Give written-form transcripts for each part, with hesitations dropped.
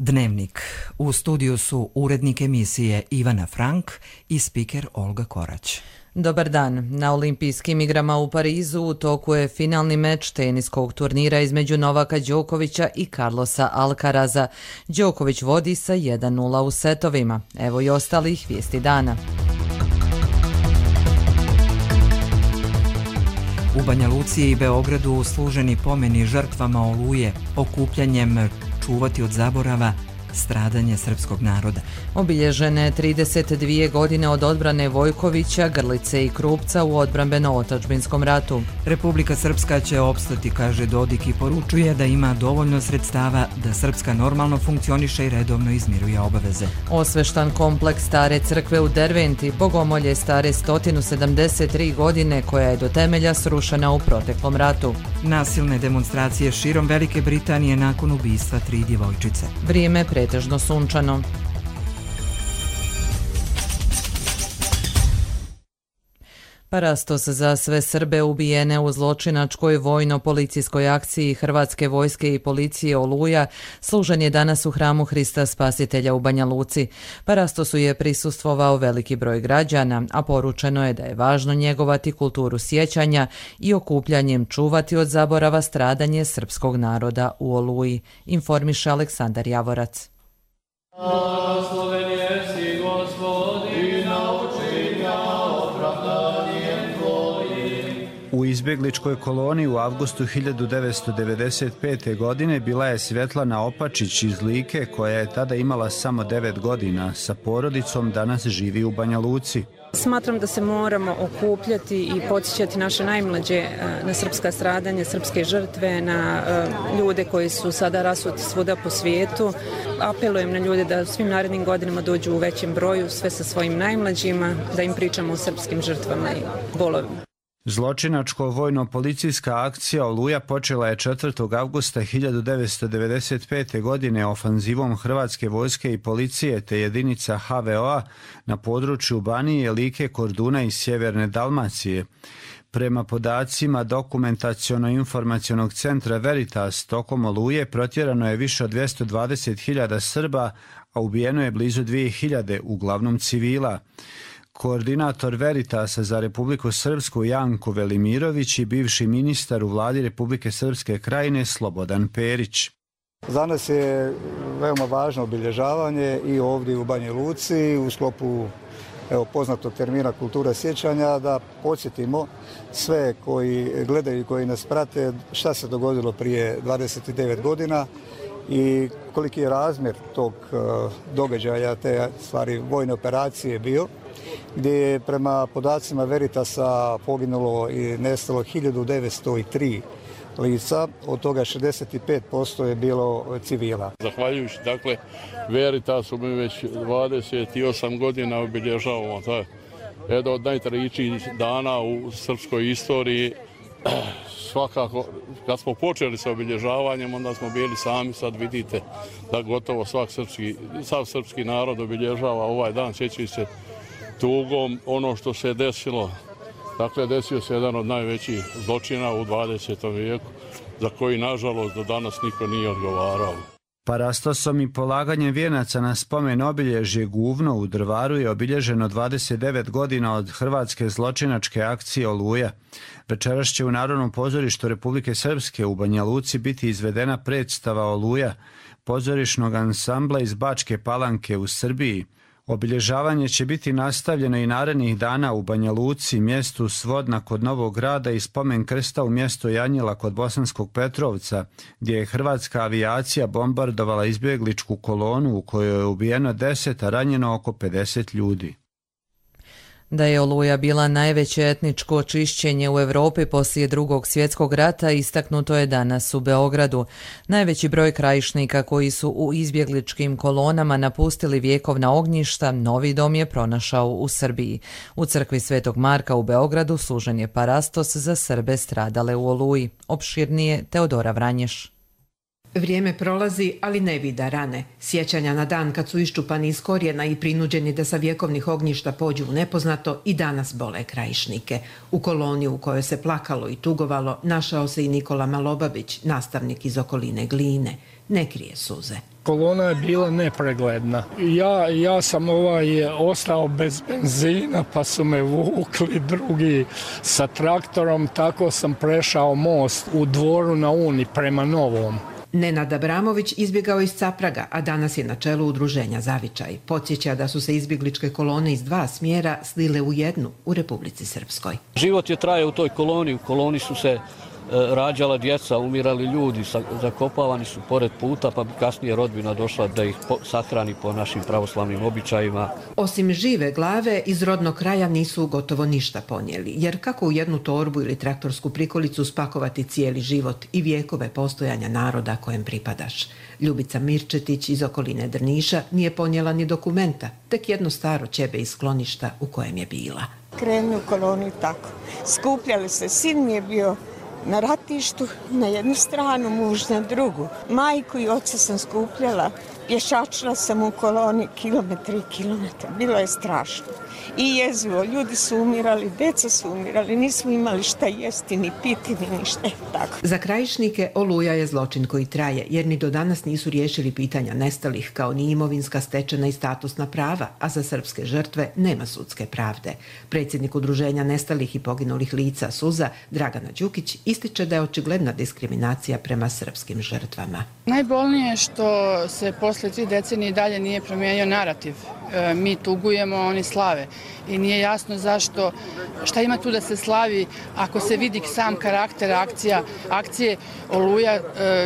Dnevnik. U studiju su urednik emisije Ivana Frank i spiker Olga Korać. Dobar dan. Na Olimpijskim igrama u Parizu u toku je finalni meč teniskog turnira između Novaka Đokovića i Carlosa Alcaraza. Đoković vodi sa 1:0 u setovima. Evo i ostalih vijesti dana. U Banja Luci i Beogradu služeni pomeni žrtvama Oluje, okupljanjem čuvati od zaborava stradanje srpskog naroda. Obilježene 32 godine od odbrane Vojkovića, Grlice i Krupca u odbrambeno-otadžbinskom ratu. Republika Srpska će opstati, kaže Dodik, i poručuje da ima dovoljno sredstava da Srpska normalno funkcioniše i redovno izmiruje obaveze. Osveštan kompleks stare crkve u Derventi, bogomolje stare 173 godine, koja je do temelja srušena u proteklom ratu. Nasilne demonstracije širom Velike Britanije nakon ubistva 3 djevojčice. Vrijeme pretežno sunčano. Parastos za sve Srbe ubijene u zločinačkoj vojno-policijskoj akciji Hrvatske vojske i policije Oluja služen je danas u hramu Hrista Spasitelja u Banja Luci. Parastosu je prisustvovao veliki broj građana, a poručeno je da je važno njegovati kulturu sjećanja i okupljanjem čuvati od zaborava stradanje srpskog naroda u Oluji, informiše Aleksandar Javorac. U izbjegličkoj koloni u avgustu 1995. godine bila je Svetlana Opačić iz Like, koja je tada imala samo 9 godina. Sa porodicom danas živi u Banja Luci. Smatram da se moramo okupljati i podsjećati naše najmlađe na srpska stradanja, srpske žrtve, na ljude koji su sada rasuti svuda po svijetu. Apelujem na ljude da u svim narednim godinama dođu u većem broju, sve sa svojim najmlađima, da im pričamo o srpskim žrtvama i bolovima. Zločinačko-vojno-policijska akcija Oluja počela je 4. avgusta 1995. godine ofanzivom Hrvatske vojske i policije te jedinica HVO-a na području Banije, Like, Korduna i sjeverne Dalmacije. Prema podacima Dokumentaciono-informacionog centra Veritas, tokom Oluje protjerano je više od 220.000 Srba, a ubijeno je blizu 2.000, uglavnom civila. Koordinator Veritasa za Republiku Srpsku Janko Velimirović i bivši ministar u vladi Republike Srpske Krajine Slobodan Perić. Za nas je veoma važno obilježavanje i ovdje u Banja Luci u sklopu poznatog termina kultura sjećanja, da podsjetimo sve koji gledaju i koji nas prate šta se dogodilo prije 29 godina i koliki je razmjer tog događaja, te stvari vojne operacije bio, gdje je prema podacima Veritasa poginulo i nestalo 1903 lica, od toga 65% je bilo civila. Zahvaljujući Veritasu mi već 28 godina obilježavamo taj jedan od najtragičnijih dana u srpskoj istoriji. Svakako, kad smo počeli sa obilježavanjem, onda smo bili sami, sad vidite da gotovo sav srpski narod obilježava ovaj dan, sjećajući se tugom ono što se desilo. Dakle, desio se jedan od najvećih zločina u 20. vijeku, za koji, nažalost, do danas niko nije odgovarao. Parastosom i polaganjem vijenaca na spomen obilježje Guvno u Drvaru je obilježeno 29 godina od hrvatske zločinačke akcije Oluja. Večeras će u Narodnom pozorištu Republike Srpske u Banja Luci biti izvedena predstava Oluja, pozorišnog ansambla iz Bačke Palanke u Srbiji. Obilježavanje će biti nastavljeno i narednih dana u Banja Luci, mjestu Svodna kod Novog Grada i spomen krsta u mjestu Janjila kod Bosanskog Petrovca, gdje je hrvatska avijacija bombardovala izbjegličku kolonu u kojoj je ubijeno 10, a ranjeno oko 50 ljudi. Da je Oluja bila najveće etničko čišćenje u Europi poslije Drugog svjetskog rata istaknuto je danas u Beogradu. Najveći broj krajišnika koji su u izbjegličkim kolonama napustili vjekovna ognjišta, novi dom je pronašao u Srbiji. U crkvi Svetog Marka u Beogradu služen je parastos za Srbe stradale u Oluji. Opširnije Teodora Vranješ. Vrijeme prolazi, ali ne vida rane. Sjećanja na dan kad su iščupani iz korijena i prinuđeni da sa vjekovnih ognjišta pođu u nepoznato i danas bole krajišnike. U koloni u kojoj se plakalo i tugovalo našao se i Nikola Malobabić, nastavnik iz okoline Gline. Ne krije suze. Kolona je bila nepregledna. Ja sam ostao bez benzina, pa su me vukli drugi sa traktorom, tako sam prešao most u Dvoru na Uni prema Novom. Nenad Abramović izbjegao iz Capraga, a danas je na čelu udruženja Zavičaj. Podsjeća da su se izbjegličke kolone iz 2 smjera slile u jednu u Republici Srpskoj. Život je trajao u toj koloni. U koloni su se rađala djeca, umirali ljudi, zakopavani su pored puta, pa bi kasnije rodbina došla da ih sahrani po našim pravoslavnim običajima. Osim žive glave, iz rodnog kraja nisu gotovo ništa ponijeli, jer kako u jednu torbu ili traktorsku prikolicu spakovati cijeli život i vijekove postojanja naroda kojem pripadaš. Ljubica Mirčetić iz okoline Drniša nije ponijela ni dokumenta, tek jedno staro ćebe iz skloništa u kojem je bila. Krenu u koloni tako. Skupljali se, sin mi je bio na ratištu, na jednu stranu, muž na drugu. Majku i oca sam skupljala, pješačila sam u koloni kilometre i kilometre. Bilo je strašno. I jezivo, ljudi su umirali, djeca su umirali, nismo imali šta jesti, ni piti, ni ništa. Tako. Za Krajišnike Oluja je zločin koji traje, jer ni do danas nisu riješili pitanja nestalih, kao ni imovinska, stečena i statusna prava, a za srpske žrtve nema sudske pravde. Predsjednik Udruženja nestalih i poginulih lica SUZA, Dragana Đukić, ističe da je očigledna diskriminacija prema srpskim žrtvama. Najbolnije je što se posle 3 decenije dalje nije promijenio narativ. Mi tugujemo, oni slave. I nije jasno zašto, šta ima tu da se slavi ako se vidi sam karakter akcije Oluja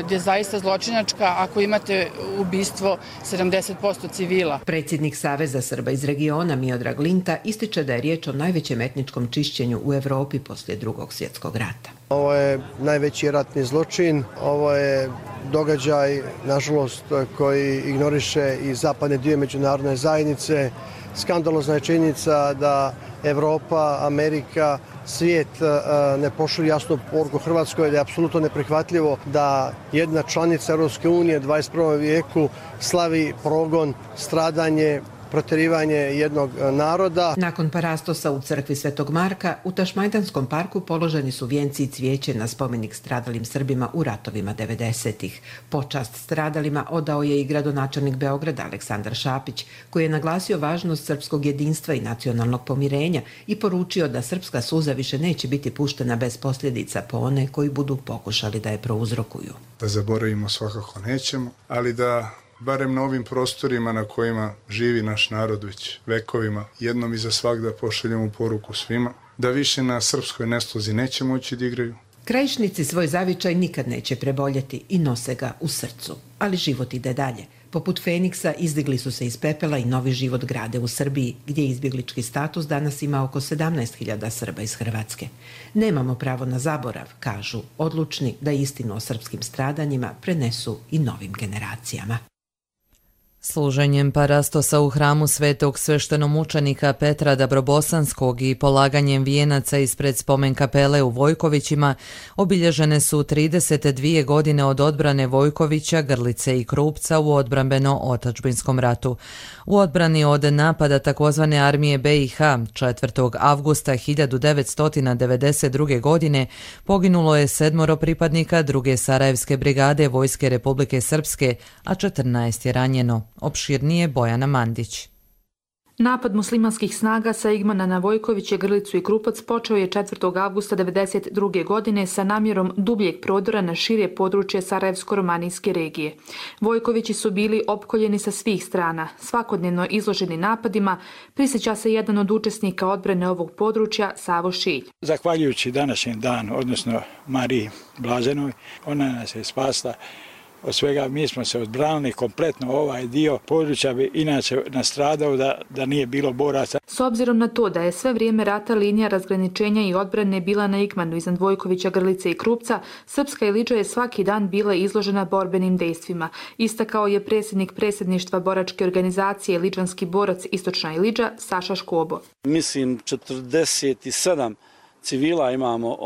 gdje je zaista zločinačka ako imate ubistvo 70% civila. Predsjednik Saveza Srba iz regiona Miodrag Linta ističe da je riječ o najvećem etničkom čišćenju u Europi poslije Drugog svjetskog rata. Ovo je najveći ratni zločin, ovo je događaj, nažalost, koji ignoriše i zapadne dio međunarodne zajednice. Skandalozna je činjenica da Evropa, Amerika, svijet ne pošalju jasnu poruku Hrvatskoj, da je apsolutno neprihvatljivo da jedna članica Europske unije u 21. vijeku slavi progon, stradanje, protjerivanje jednog naroda. Nakon parastosa u crkvi Svetog Marka, u Tašmajdanskom parku položeni su vijenci i cvijeće na spomenik stradalim Srbima u ratovima 90-ih. Počast stradalima odao je i gradonačelnik Beograda Aleksandar Šapić, koji je naglasio važnost srpskog jedinstva i nacionalnog pomirenja i poručio da srpska suza više neće biti puštena bez posljedica po one koji budu pokušali da je prouzrokuju. Da zaboravimo svakako nećemo, ali da barem na ovim prostorima na kojima živi naš narod već vekovima, jednom i za svagda pošaljemo poruku svima, da više na srpskoj neslozi neće moći da igraju. Krajišnici svoj zavičaj nikad neće preboljeti i nose ga u srcu, ali život ide dalje. Poput Feniksa izdigli su se iz pepela i novi život grade u Srbiji, gdje izbjeglički status danas ima oko 17.000 Srba iz Hrvatske. Nemamo pravo na zaborav, kažu, odlučni da istinu o srpskim stradanjima prenesu i novim generacijama. Služenjem parastosa u hramu svetog sveštenomučenika Petra Dabrobosanskog i polaganjem vijenaca ispred spomen kapele u Vojkovićima obilježene su 32 godine od odbrane Vojkovića, Grlice i Krupca u odbrambeno-otadžbinskom ratu. U odbrani od napada takozvane armije BiH 4. avgusta 1992. godine poginulo je 7 pripadnika 2. Sarajevske brigade Vojske Republike Srpske, a 14 je ranjeno. Opširnije Bojana Mandić. Napad muslimanskih snaga sa Igmana na Vojkoviće, Grlicu i Krupac počeo je 4. avgusta 1992. godine sa namjerom dubljeg prodora na šire područje Sarajevsko-romanijske regije. Vojkovići su bili opkoljeni sa svih strana, svakodnevno izloženi napadima, prisjeća se jedan od učesnika odbrane ovog područja, Savo Šilj. Zahvaljujući današnjem danu, odnosno Mariji Blaženoj, ona nas je spasla od svega. Mi smo se odbranili kompletno, ovaj dio područja bi inače nastradao da nije bilo boraca. S obzirom na to da je sve vrijeme rata linija razgraničenja i odbrane bila na Igmanu iznad Vojkovića, Grlice i Krupca, Srpska Iliđa je svaki dan bila izložena borbenim dejstvima. Istakao je predsjednik predsjedništva boračke organizacije Iliđanski borac Istočna Iliđa, Saša Škobo. Mislim 47 civila imamo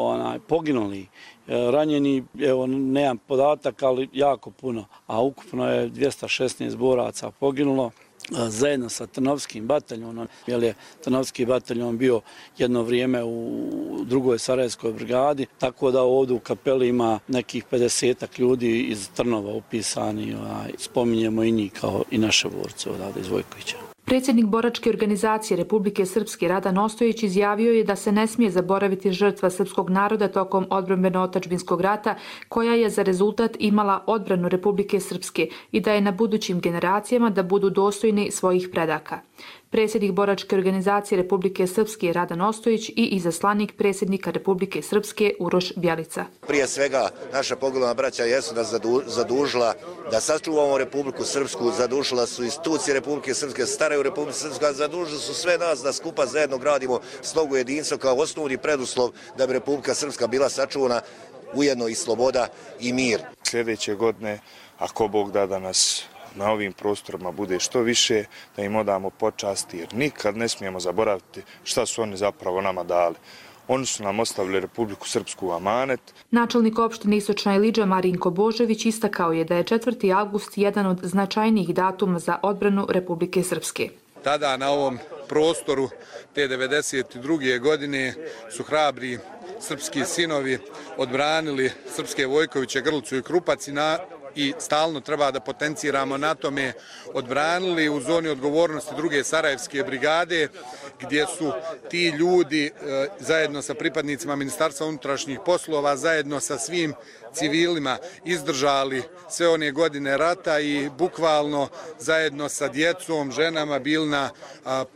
poginuli. Ranjeni, evo nemam podatak, ali jako puno, a ukupno je 216 boraca poginulo. zajedno sa Trnovskim bataljonom, jer je Trnovski bataljon bio jedno vrijeme u drugoj Sarajevskoj brigadi, tako da ovdje u kapeli ima nekih 50 ljudi iz Trnova upisani, spominjemo i njih kao i naše borce odavde iz Vojkovića. Predsjednik boračke organizacije Republike Srpske Radan Ostojić izjavio je da se ne smije zaboraviti žrtva srpskog naroda tokom odbrambeno-otadžbinskog rata, koja je za rezultat imala odbranu Republike Srpske i da je na budućim generacijama da budu dostojni svojih predaka. Predsjednik boračke organizacije Republike Srpske Radan Ostojić i izaslanik predsjednika Republike Srpske Uroš Bjelica. Prije svega naša poginula braća jesu nas zadužila da sačuvamo Republiku Srpsku, zadužila su institucije Republike Srpske, staraju Republike Srpske, zadužili su sve nas da skupa zajedno gradimo slogu jedinstva kao osnovni preduslov da bi Republika Srpska bila sačuvana, ujedno i sloboda i mir. Sljedeće godine, ako Bog da nas na ovim prostorima bude što više, da im odamo počasti, jer nikad ne smijemo zaboraviti šta su oni zapravo nama dali. Oni su nam ostavili Republiku Srpsku u amanet. Načelnik opštine Istočna Ilidža Marinko Božević istakao je da je 4. avgust jedan od značajnijih datuma za odbranu Republike Srpske. Tada na ovom prostoru te 1992. godine su hrabri srpski sinovi odbranili srpske Vojkoviće, Grlicu i Krupac i stalno treba da potenciramo na tome, odbranili u zoni odgovornosti druge Sarajevske brigade, gdje su ti ljudi zajedno sa pripadnicima Ministarstva unutrašnjih poslova, zajedno sa svim civilima izdržali sve one godine rata i bukvalno zajedno sa djecom, ženama bili na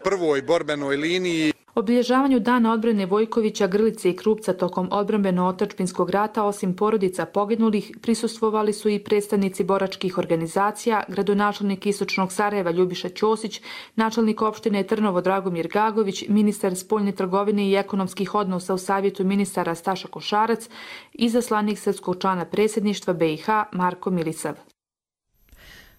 prvoj borbenoj liniji. Obilježavanju Dana odbrane Vojkovića, Grlice i Krupca tokom odbrambeno-otadžbinskog rata, osim porodica poginulih, prisustvovali su i predstavnici boračkih organizacija, gradonačelnik Istočnog Sarajeva Ljubiša Ćosić, načelnik opštine Trnovo Dragomir Gagović, ministar spoljne trgovine i ekonomskih odnosa u Savjetu ministara Staša Košarac, izaslanik srpskog člana predsjedništva BiH Marko Milisav.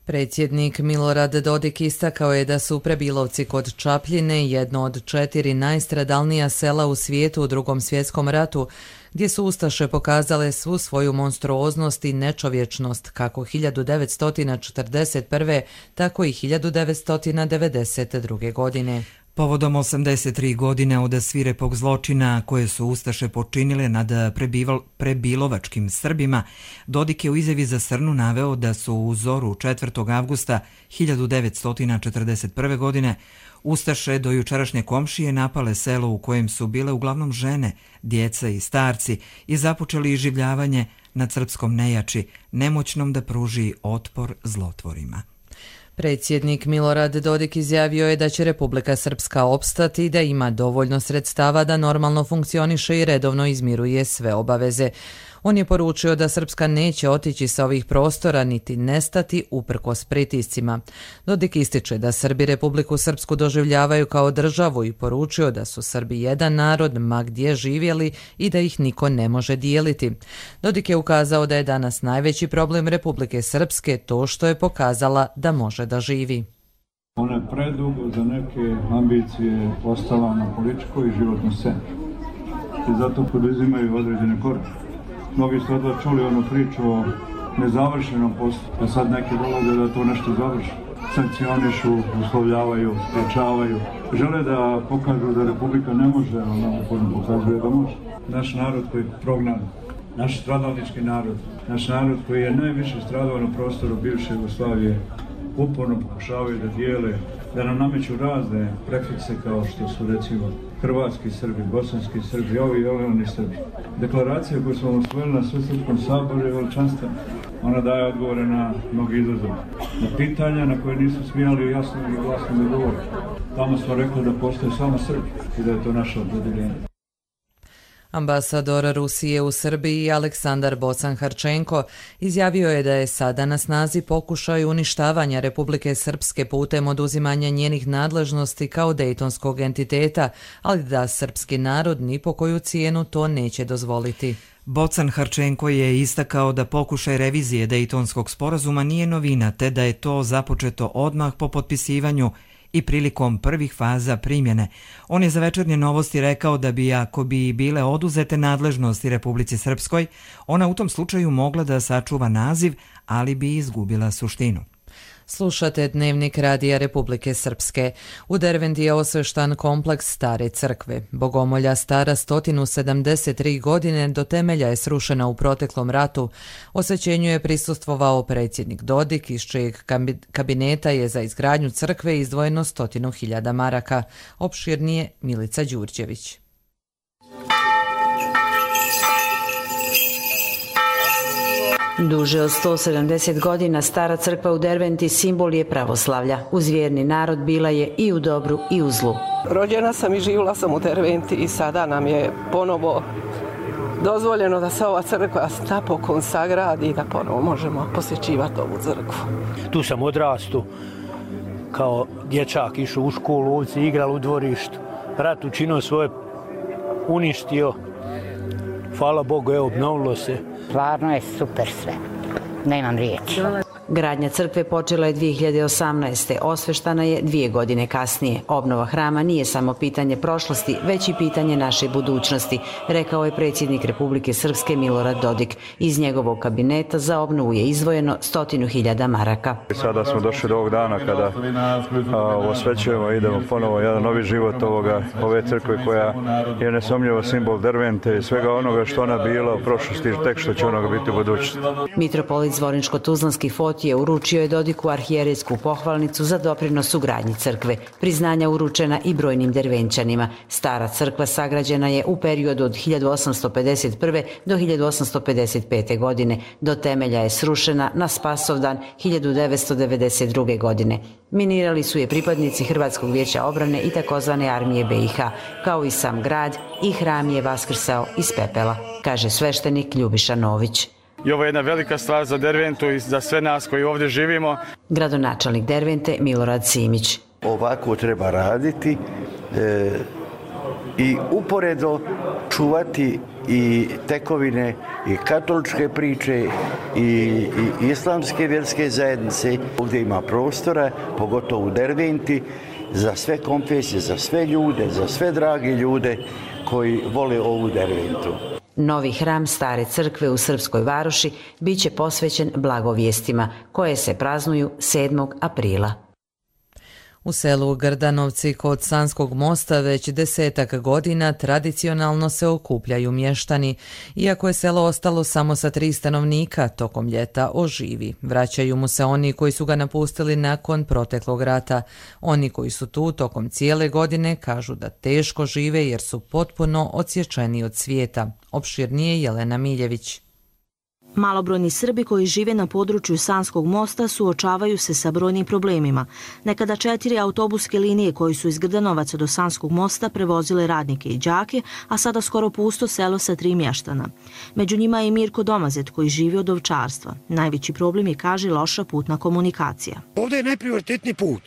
Predsjednik Milorad Dodik istakao je da su Prebilovci kod Čapljine jedno od 4 najstradalnija sela u svijetu u Drugom svjetskom ratu, gdje su ustaše pokazale svu svoju monstruoznost i nečovječnost kako 1941. tako i 1992. godine. Povodom 83 godine od svirepog zločina koje su ustaše počinile nad prebilovačkim Srbima, Dodik je u izjavi za Srnu naveo da su u zoru 4. avgusta 1941. godine ustaše do jučerašnje komšije napale selo u kojem su bile uglavnom žene, djeca i starci i započeli iživljavanje nad srpskom nejači, nemoćnom da pruži otpor zlotvorima. Predsjednik Milorad Dodik izjavio je da će Republika Srpska opstati i da ima dovoljno sredstava da normalno funkcioniše i redovno izmiruje sve obaveze. On je poručio da Srpska neće otići sa ovih prostora niti nestati uprkos pritiscima. Dodik ističe da Srbi Republiku Srpsku doživljavaju kao državu i poručio da su Srbi jedan narod ma gdje živjeli i da ih niko ne može dijeliti. Dodik je ukazao da je danas najveći problem Republike Srpske to što je pokazala da može da živi. Ona je predugo za neke ambicije ostala na političkoj i životnoj sceni i zato poduzimaju određene korake. Mnogi su odla čuli onu priču o nezavršenom poslu, a sad neki dolaze da to nešto završi. Sankcionišu, uslovljavaju, spriječavaju. Žele da pokažu da Republika ne može, a ona pokazuje da može. Naš narod koji je prognan, naš stradalnički narod, naš narod koji je najviše stradao na prostoru bivše Jugoslavije, uporno pokušavaju da dijele, da nam nameću razne prefikse kao što su recimo hrvatski Srbi, bosanski Srbi, ovi i oni Srbi. Deklaracija koju smo usvojili na Svesrpskom saboru je veličanstvena. Ona daje odgovore na mnogi izazove. Na pitanja na koje nisu smijali jasno i glasno da govore. Tamo smo rekli da postoje samo Srbi i da je to naše opredjeljenje. Ambasador Rusije u Srbiji Aleksandar Bocan-Harčenko izjavio je da je sada na snazi pokušaj uništavanja Republike Srpske putem oduzimanja njenih nadležnosti kao dejtonskog entiteta, ali da srpski narod ni po koju cijenu to neće dozvoliti. Bocan-Harčenko je istakao da pokušaj revizije Dejtonskog sporazuma nije novina, te da je to započeto odmah po potpisivanju i prilikom prvih faza primjene. On je za Večernje novosti rekao da bi, ako bi bile oduzete nadležnosti Republici Srpskoj, ona u tom slučaju mogla da sačuva naziv, ali bi izgubila suštinu. Slušate Dnevnik Radija Republike Srpske. U Derventi je osveštan kompleks Stare crkve. Bogomolja stara 173 godine, do temelja je srušena u proteklom ratu. Osvećenju je prisustvovao predsjednik Dodik, iz čijeg kabineta je za izgradnju crkve izdvojeno 100.000 maraka. Opširnije Milica Đurđević. Duže od 170 godina stara crkva u Derventi simbol je pravoslavlja. Uz vjerni narod bila je i u dobru i u zlu. Rođena sam i živjela sam u Derventi i sada nam je ponovo dozvoljeno da se ova crkva napokon sagradi i da ponovo možemo posjećivati ovu crkvu. Tu sam odrastu kao dječak, išao u školu, ovci igrali u dvorištu. Rat učinio svoje, uništio. Hvala Bogu, obnovilo se. Stvarno je super sve. Nemam riječi. Gradnja crkve počela je 2018. Osveštana je 2 godine kasnije. Obnova hrama nije samo pitanje prošlosti, već i pitanje naše budućnosti, rekao je predsjednik Republike Srpske Milorad Dodik. Iz njegovog kabineta za obnovu je izdvojeno 100.000 maraka. Sada smo došli do ovog dana kada osvećujemo i idemo ponovo jedan novi život ove crkve koja je nesumnjivo simbol Dervente i svega onoga što ona bila u prošlosti, tek što će onoga biti u budućnosti. Mitropolit Zvorinško-Tuzlanski Fotije uručio je Dodiku arhijerejsku pohvalnicu za doprinos u gradnji crkve. Priznanja uručena i brojnim Dervenčanima. Stara crkva sagrađena je u periodu od 1851. do 1855. godine. Do temelja je srušena na Spasovdan 1992. godine. Minirali su je pripadnici Hrvatskog vijeća obrane i takozvane armije BiH, kao i sam grad, i hram je vaskrsao iz pepela, kaže sveštenik Ljubiša Nović. I ovo je jedna velika stvar za Derventu i za sve nas koji ovdje živimo. Gradonačelnik Dervente Milorad Simić. Ovako treba raditi i uporedo čuvati i tekovine i katoličke priče i islamske vjerske zajednice. Ovdje ima prostora, pogotovo u Derventi, za sve konfesije, za sve ljude, za sve drage ljude koji vole ovu Derventu. Novi hram Stare crkve u Srpskoj Varoši bit će posvećen blagovijestima, koje se praznuju 7. aprila. U selu Grdanovci kod Sanskog mosta već 10 godina tradicionalno se okupljaju mještani. Iako je selo ostalo samo sa 3 stanovnika, tokom ljeta oživi. Vraćaju mu se oni koji su ga napustili nakon proteklog rata. Oni koji su tu tokom cijele godine kažu da teško žive jer su potpuno odsječeni od svijeta. Opširnije Jelena Miljević. Malobrojni Srbi koji žive na području Sanskog mosta suočavaju se sa brojnim problemima. Nekada 4 autobuske linije koji su iz Grdanovaca do Sanskog mosta prevozile radnike i đake, a sada skoro pusto selo sa 3 mještana. Među njima je i Mirko Domazet koji živi od ovčarstva. Najveći problem je, kaže, loša putna komunikacija. Ovdje je najprioritetniji put.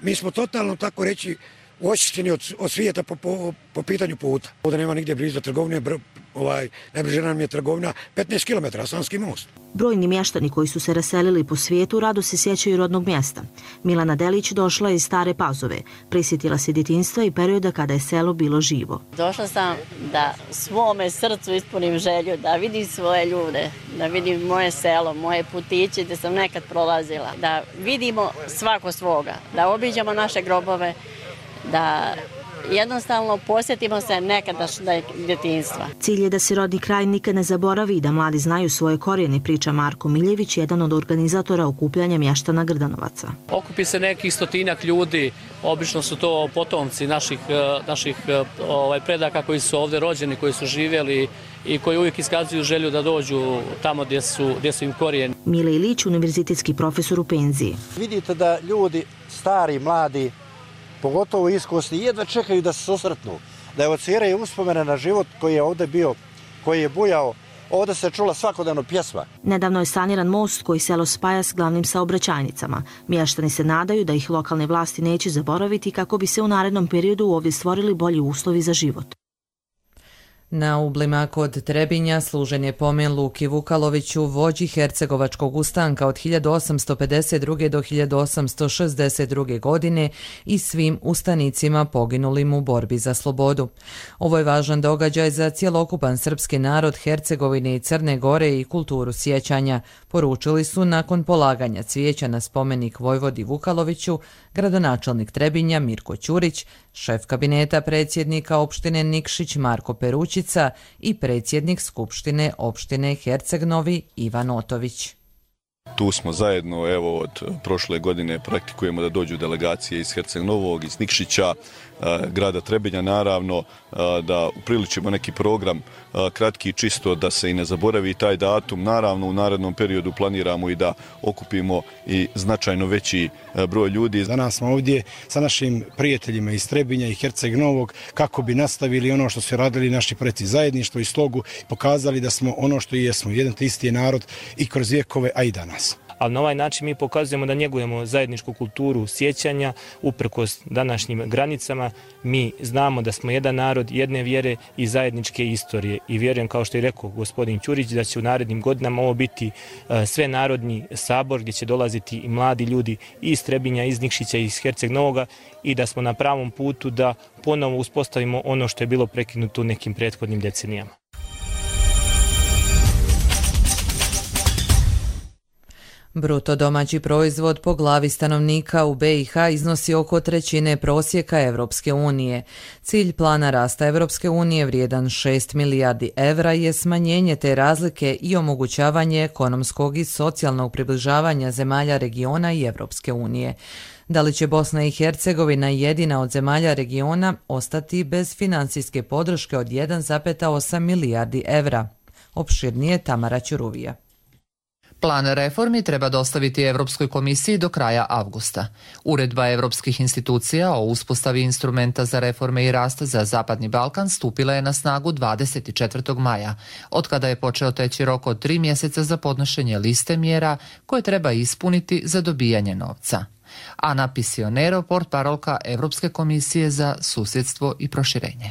Mi smo totalno, tako reći, očišćeni od svijeta po pitanju puta. Ovdje nema nigdje blizu trgovine, najbliže nam je trgovina 15 km, Sanski most. Brojni mještani koji su se raselili po svijetu rado se sjećaju rodnog mjesta. Milana Delić došla je iz Stare Pazove. Prisjetila se djetinjstva i perioda kada je selo bilo živo. Došla sam da svome srcu ispunim želju, da vidim svoje ljude, da vidim moje selo, moje putiće gdje sam nekad prolazila, da vidimo svako svoga, da obiđemo naše grobove, da jednostavno posjetimo se nekadašnjeg djetinjstva. Cilj je da se rodni kraj nikad ne zaboravi i da mladi znaju svoje korijene, priča Marko Miljević, jedan od organizatora okupljanja mještana Grdanovaca. Okupi se nekih 100-ak ljudi, obično su to potomci naših predaka koji su ovdje rođeni, koji su živjeli i koji uvijek iskazuju želju da dođu tamo gdje su im korijeni. Mile Ilić, univerzitetski profesor u penziji. Vidite da ljudi, stari, mladi, pogotovo iskusni, jedva čekaju da se susretnu, da evociraju uspomene na život koji je ovdje bio, koji je bujao. Ovdje se čula svakodnevno pjesma. Nedavno je saniran most koji selo spaja s glavnim saobraćajnicama. Mještani se nadaju da ih lokalne vlasti neće zaboraviti kako bi se u narednom periodu ovdje stvorili bolji uslovi za život. Na Ublima kod Trebinja služen je pomen Luki Vukaloviću, vođi Hercegovačkog ustanka od 1852. do 1862. godine i svim ustanicima poginulim u borbi za slobodu. Ovo je važan događaj za cjelokupan srpski narod Hercegovine i Crne Gore i kulturu sjećanja, poručili su nakon polaganja cvijeća na spomenik vojvodi Vukaloviću gradonačelnik Trebinja Mirko Ćurić, šef kabineta predsjednika opštine Nikšić Marko Perućica i predsjednik Skupštine opštine Herceg-Novi Ivan Otović. Tu smo zajedno, evo, od prošle godine praktikujemo da dođu delegacije iz Herceg-Novog, iz Nikšića, grada Trebinja, naravno, da upriličimo neki program kratki, čisto da se i ne zaboravi taj datum. Naravno, u narednom periodu planiramo i da okupimo i značajno veći broj ljudi. Danas smo ovdje sa našim prijateljima iz Trebinja i Herceg-Novog kako bi nastavili ono što su radili naši preci, zajedništvo i slogu, pokazali da smo ono što i jesmo, jedan te isti narod i kroz vjekove, a i danas. Ali na ovaj način mi pokazujemo da njegujemo zajedničku kulturu sjećanja uprkos današnjim granicama. Mi znamo da smo jedan narod, jedne vjere i zajedničke istorije. I vjerujem, kao što je rekao gospodin Ćurić, da će u narednim godinama ovo biti svenarodni sabor gdje će dolaziti i mladi ljudi iz Trebinja, iz Nikšića i iz Herceg-Novoga i da smo na pravom putu da ponovo uspostavimo ono što je bilo prekinuto u nekim prethodnim decenijama. Bruto domaći proizvod po glavi stanovnika u BiH iznosi oko trećine prosjeka Evropske unije. Cilj plana rasta Evropske unije vrijedan 6 milijardi evra je smanjenje te razlike i omogućavanje ekonomskog i socijalnog približavanja zemalja regiona i Evropske unije. Da li će Bosna i Hercegovina, jedina od zemalja regiona, ostati bez financijske podrške od 1,8 milijardi evra? Opširnije Tamara Ćuruvija. Plan reformi treba dostaviti Evropskoj komisiji do kraja avgusta. Uredba evropskih institucija o uspostavi instrumenta za reforme i rast za Zapadni Balkan stupila je na snagu 24. maja, otkada je počeo teći rok od 3 mjeseca za podnošenje liste mjera koje treba ispuniti za dobijanje novca. Ana Pisionero, portparolka Evropske komisije za susjedstvo i proširenje.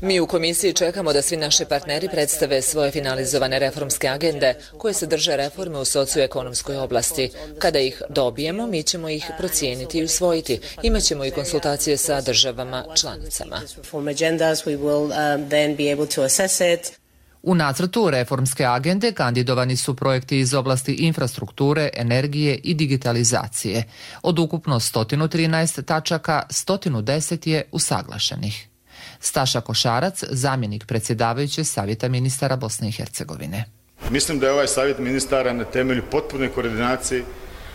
Mi u komisiji čekamo da svi naši partneri predstave svoje finalizovane reformske agende koje sadrže reforme u socioekonomskoj oblasti. Kada ih dobijemo, mi ćemo ih procijeniti i usvojiti. Imaćemo i konsultacije sa državama članicama. U nacrtu reformske agende kandidovani su projekti iz oblasti infrastrukture, energije i digitalizacije. Od ukupno 113 tačaka, 110 je usaglašenih. Staša Košarac, zamjenik predsjedavajuće Savjeta ministara Bosne i Hercegovine. Mislim da je ovaj savjet ministara na temelju potpune koordinacije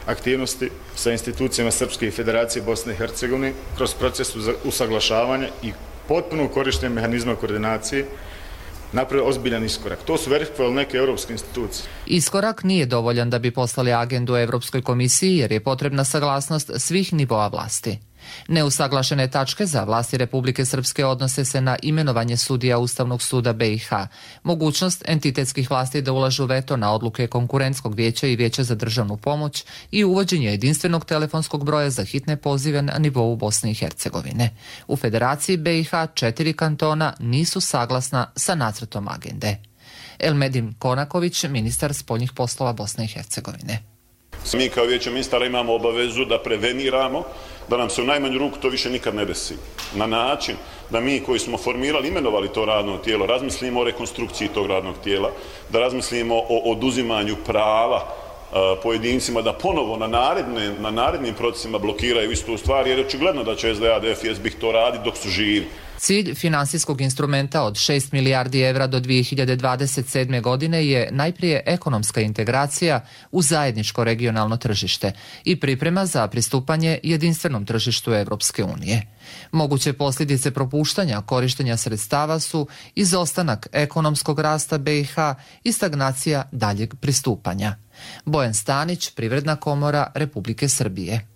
aktivnosti sa institucijama Srpske federacije Bosne i Hercegovine kroz proces usaglašavanja i potpuno korištenje mehanizma koordinacije napravio ozbiljan iskorak. To su verifikovali neke europske institucije. Iskorak nije dovoljan da bi poslali agendu Evropskoj komisiji jer je potrebna saglasnost svih nivoa vlasti. Neusaglašene tačke za vlasti Republike Srpske odnose se na imenovanje sudija Ustavnog suda BiH, mogućnost entitetskih vlasti da ulažu veto na odluke Konkurentskog vijeća i Vijeća za državnu pomoć i uvođenje jedinstvenog telefonskog broja za hitne pozive na nivou Bosne i Hercegovine. U Federaciji BiH 4 kantona nisu saglasna sa nacrtom agende. Elmedin Konaković, ministar spoljnih poslova Bosne i Hercegovine. Mi kao vijeće ministara imamo obavezu da preveniramo da nam se u najmanju ruku to više nikad ne desi. Na način da mi koji smo formirali, imenovali to radno tijelo, razmislimo o rekonstrukciji tog radnog tijela, da razmislimo o oduzimanju prava pojedincima da ponovo na narednim procesima blokiraju istu stvar, jer je očigledno da će SDA, DF i SBIH to raditi dok su živi. Cilj finansijskog instrumenta od 6 milijardi evra do 2027. godine je najprije ekonomska integracija u zajedničko regionalno tržište i priprema za pristupanje jedinstvenom tržištu Evropske unije. Moguće posljedice propuštanja korištenja sredstava su izostanak ekonomskog rasta BiH i stagnacija daljeg pristupanja. Bojan Stanić, Privredna komora Republike Srbije.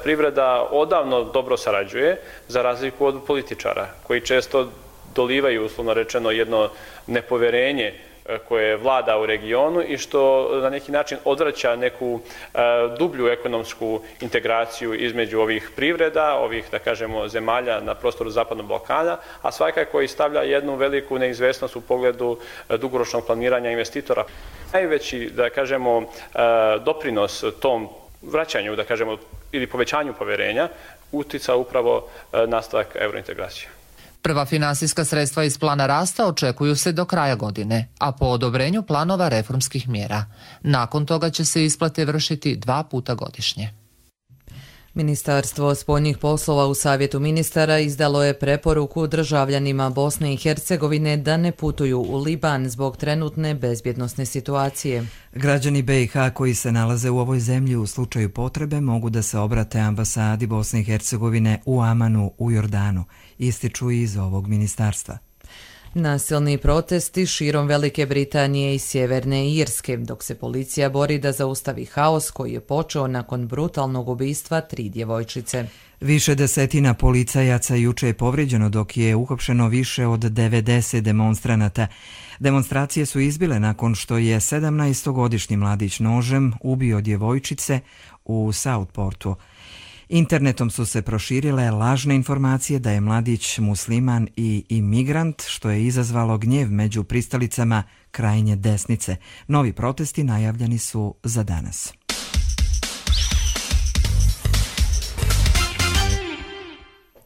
Privreda odavno dobro sarađuje, za razliku od političara, koji često dolivaju, uslovno rečeno, jedno nepoverenje koje vlada u regionu i što na neki način odvraća neku dublju ekonomsku integraciju između ovih privreda, ovih, da kažemo, zemalja na prostoru Zapadnog Balkana, a svakako i stavlja jednu veliku neizvesnost u pogledu dugoročnog planiranja investitora. Najveći, da kažemo, doprinos tom vraćanju, da kažemo, ili povećanju poverenja utica upravo nastavak eurointegracije. Prva finansijska sredstva iz plana rasta očekuju se do kraja godine, a po odobrenju planova reformskih mjera. Nakon toga će se isplate vršiti 2 puta godišnje. Ministarstvo spoljnih poslova u Savjetu ministara izdalo je preporuku državljanima Bosne i Hercegovine da ne putuju u Liban zbog trenutne bezbjednosne situacije. Građani BiH koji se nalaze u ovoj zemlji u slučaju potrebe mogu da se obrate ambasadi Bosne i Hercegovine u Amanu u Jordanu, ističu iz ovog ministarstva. Nasilni protesti širom Velike Britanije i Sjeverne Irske, dok se policija bori da zaustavi haos koji je počeo nakon brutalnog ubistva 3 djevojčice. Više desetina policajaca juče je povrijeđeno dok je uhapšeno više od 90 demonstranata. Demonstracije su izbile nakon što je 17-godišnji mladić nožem ubio djevojčice u Southportu. Internetom su se proširile lažne informacije da je mladić musliman i imigrant, što je izazvalo gnjev među pristalicama krajnje desnice. Novi protesti najavljeni su za danas.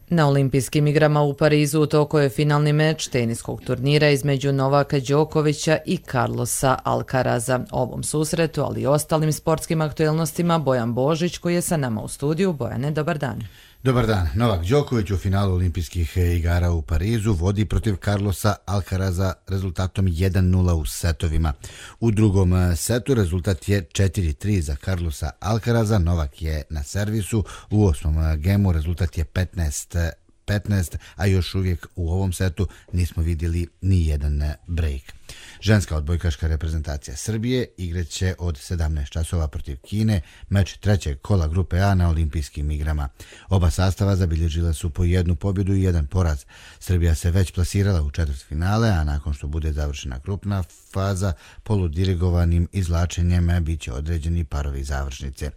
Na olimpijskim igrama u Parizu utoko je finalni meč teniskog turnira između Novaka Đokovića i Carlosa Alcaraza. O ovom susretu, ali i ostalim sportskim aktuelnostima, Bojan Božić koji je sa nama u studiju. Bojane, dobar dan. Dobar dan. Novak Đoković u finalu olimpijskih igara u Parizu vodi protiv Carlosa Alcaraza rezultatom 1-0 u setovima. U drugom setu rezultat je 4-3 za Carlosa Alcaraza. Novak je na servisu. U 8. gemu rezultat je 15-15, a još uvijek u ovom setu nismo vidjeli ni jedan break. Ženska odbojkaška reprezentacija Srbije igraće od 17 časova protiv Kine, meč trećeg kola grupe A na olimpijskim igrama. Oba sastava zabilježila su po 1 pobjedu i 1 poraz. Srbija se već plasirala u četvrtfinale, a nakon što bude završena grupna faza, poludirigovanim izvlačenjem bit će određeni parovi završnice.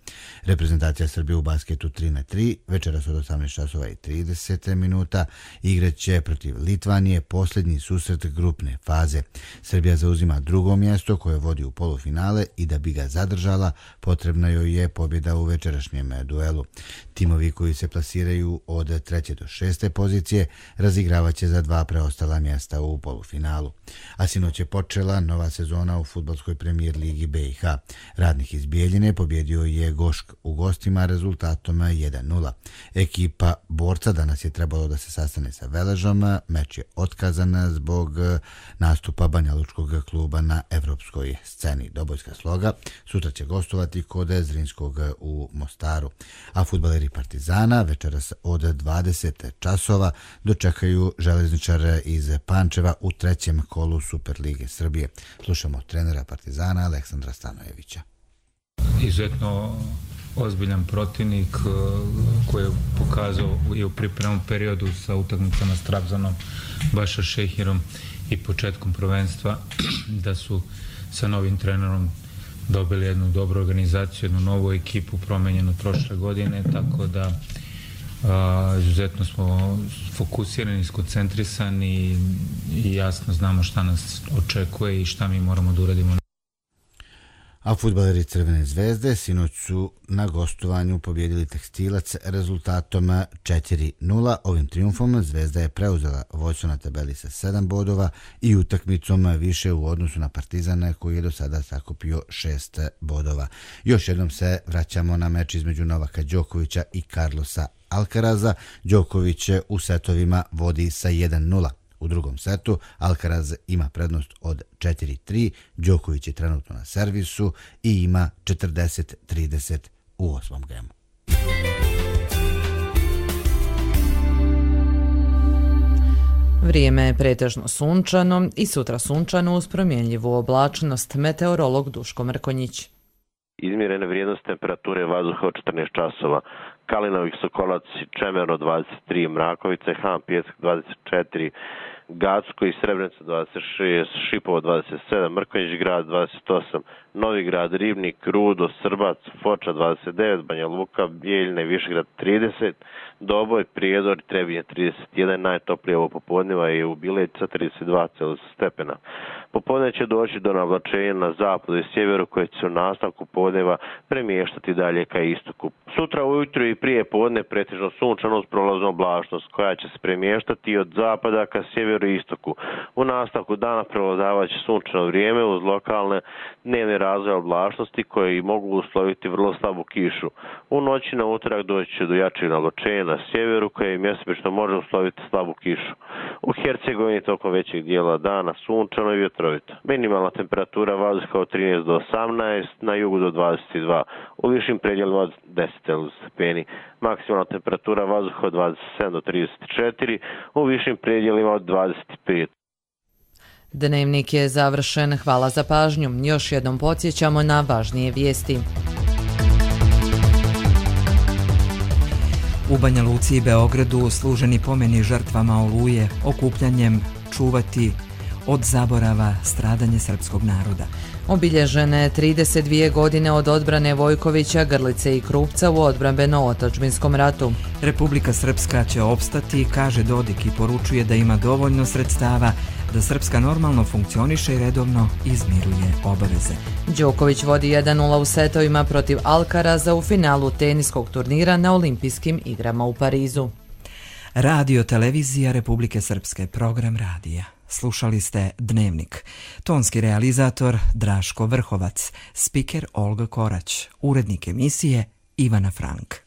Reprezentacija Srbije u basketu 3-3, večeras od 18 časova i 30 minuta, igraće protiv Litvanije posljednji susret grupne faze. Srbija zauzima drugo mjesto koje vodi u polufinale i da bi ga zadržala potrebna joj je pobjeda u večerašnjem duelu. Timovi koji se plasiraju od 3. do 6. pozicije razigravat će za 2 preostala mjesta u polufinalu. A sinoć je počela nova sezona u fudbalskoj premijer ligi BiH. Radnik iz Bijeljine pobjedio je Gošk u gostima rezultatom 1-0. Ekipa borca danas je trebalo da se sastane sa Veležom, meč je otkazan zbog nastupa Banjalučkog kluba na evropskoj sceni. Dobojska Sloga sutra će gostovati kod Zrinskog u Mostaru, a fudbaleri Partizana večeras od 20 časova dočekaju Železničar iz Pančeva u 3. kolu Superlige Srbije. Slušamo trenera Partizana Aleksandra Stanojevića. Izuzetno ozbiljan protivnik koji je pokazao i u pripremnom periodu sa utakmicama s Trabzonom, Baša Šehirom i početkom prvenstva, da su sa novim trenerom dobili jednu dobru organizaciju, jednu novu ekipu promenjenu prošle godine, tako da izuzetno smo fokusirani, skoncentrisani i jasno znamo šta nas očekuje i šta mi moramo da uradimo. A fudbaleri Crvene zvezde sinoć su na gostovanju pobjedili Tekstilac rezultatom 4-0. Ovim triumfom Zvezda je preuzela vođstvo na tabeli sa 7 bodova i utakmicom više u odnosu na Partizan koji je do sada sakupio 6 bodova. Još jednom se vraćamo na meč između Novaka Đokovića i Carlosa Alcaraza. Đoković u setovima vodi sa 1-0. U drugom setu Alcaraz ima prednost od 4-3, Đoković je trenutno na servisu i ima 40-30 u 8. gemu. Vrijeme je pretežno sunčano i sutra sunčano uz promjenljivu oblačnost. Meteorolog Duško Mrkonjić. Izmjerene vrijednost temperature vazduha od 14 časova. Kalinovih Sokolac, Čemerno 23, Mrakovice, Han Pjesak 24, Gacko i Srebrenica 26, Šipovo 27, Mrkonjić grad 28, Novi grad, Ribnik, Rudo, Srbac, Foča 29, Banja Luka, Bijeljina i Višegrad 30, Doboj, Prijedor i Trebinje 31, najtoplije ovo popodneva je u Bileća 32 stepena. Popodne će doći do navlačenja na zapadu i sjeveru koje će se u nastavku podneva premještati dalje ka istoku. Sutra ujutro i prije podne pretežno sunčano uz prolaznu oblačnost koja će se premještati od zapada ka sjeveru i istoku. U nastavku dana prevladavaće sunčano vrijeme uz lokalne dnevne razvoje oblačnosti koje mogu usloviti vrlo slabu kišu. U noći na utorak doći će do jačeg navlačenja na sjeveru koje mjesečno može usloviti slabu kišu. U Hercegovini tokom većeg dijela dana sunčano i vjetrovito. Minimalna temperatura vazduha od 13 do 18, na jugu do 22, u višim predjelima od 10 stepeni. Maksimalna temperatura vazduha od 27 do 34, u višim predjelima od 25. Dnevnik je završen. Hvala za pažnju. Još jednom podsjećamo na važnije vijesti. U Banja Luci i Beogradu služeni pomeni žrtvama Oluje, okupljanjem čuvati od zaborava stradanje srpskog naroda. Obilježene 32 godine od odbrane Vojkovića, Grlice i Krupca u odbrambeno-otadžbinskom ratu. Republika Srpska će opstati, kaže Dodik, i poručuje da ima dovoljno sredstava da Srpska normalno funkcioniše i redovno izmiruje obaveze. Đoković vodi 1-0 u setovima protiv Alcaraza u finalu teniskog turnira na Olimpijskim igrama u Parizu. Radio televizija Republike Srpske, program radija. Slušali ste Dnevnik. Tonski realizator Draško Vrhovac, spiker Olga Korać, urednik emisije Ivana Frank.